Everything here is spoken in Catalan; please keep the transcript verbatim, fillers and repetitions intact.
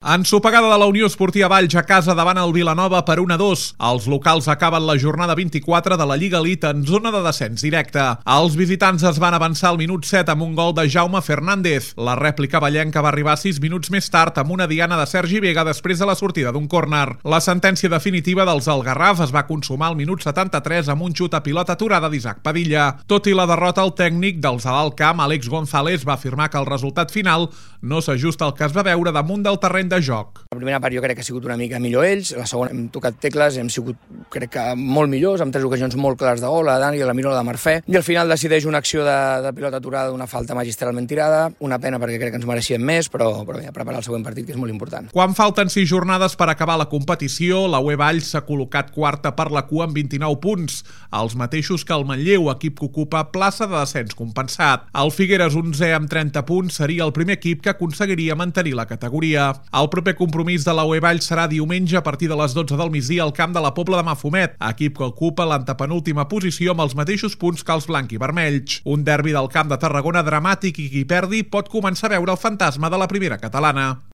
Ensopegada de la Unió Esportiva Valls a casa davant el Vilanova per un a dos. Els locals acaben la jornada vint-i-quatre de la Lliga Elite en zona de descens directe. Els visitants es van avançar al minut set amb un gol de Jaume Fernández. La rèplica vallenca va arribar sis minuts més tard amb una diana de Sergi Vega després de la sortida d'un córner. La sentència definitiva dels Algarraf es va consumar al minut setanta-tres amb un xut a pilota aturada d'Isaac Padilla. Tot i la derrota, el tècnic dels de l'Alt Camp, Àlex González, va afirmar que el resultat final no s'ajusta al que es va veure damunt del terreny de joc. La primera part jo crec que ha sigut una mica millor ells, la segona hem tocat tecles, hem sigut crec que molt millors, amb tres ocasions molt clares de gol, la de Dani, la Miro, la de Marfè, i al final decideix una acció de, de pilota aturada d'una falta magistralment tirada, una pena perquè crec que ens mereixíem més, però, però bé, a preparar el següent partit, que és molt important. Quan falten sis jornades per acabar la competició, la U E Valls s'ha col·locat quarta per la cua amb vint-i-nou punts, els mateixos que el Manlleu, equip que ocupa plaça de descens compensat. El Figueres, onzè amb trenta punts, seria el primer equip que aconseguiria mantenir la categoria. El proper compromís de la U E Valls serà diumenge a partir de les dotze del migdia al camp de la Pobla de Mafumet, equip que ocupa l'antepenúltima posició amb els mateixos punts que els blanc i vermells. Un derbi del Camp de Tarragona dramàtic i qui perdi pot començar a veure el fantasma de la primera catalana.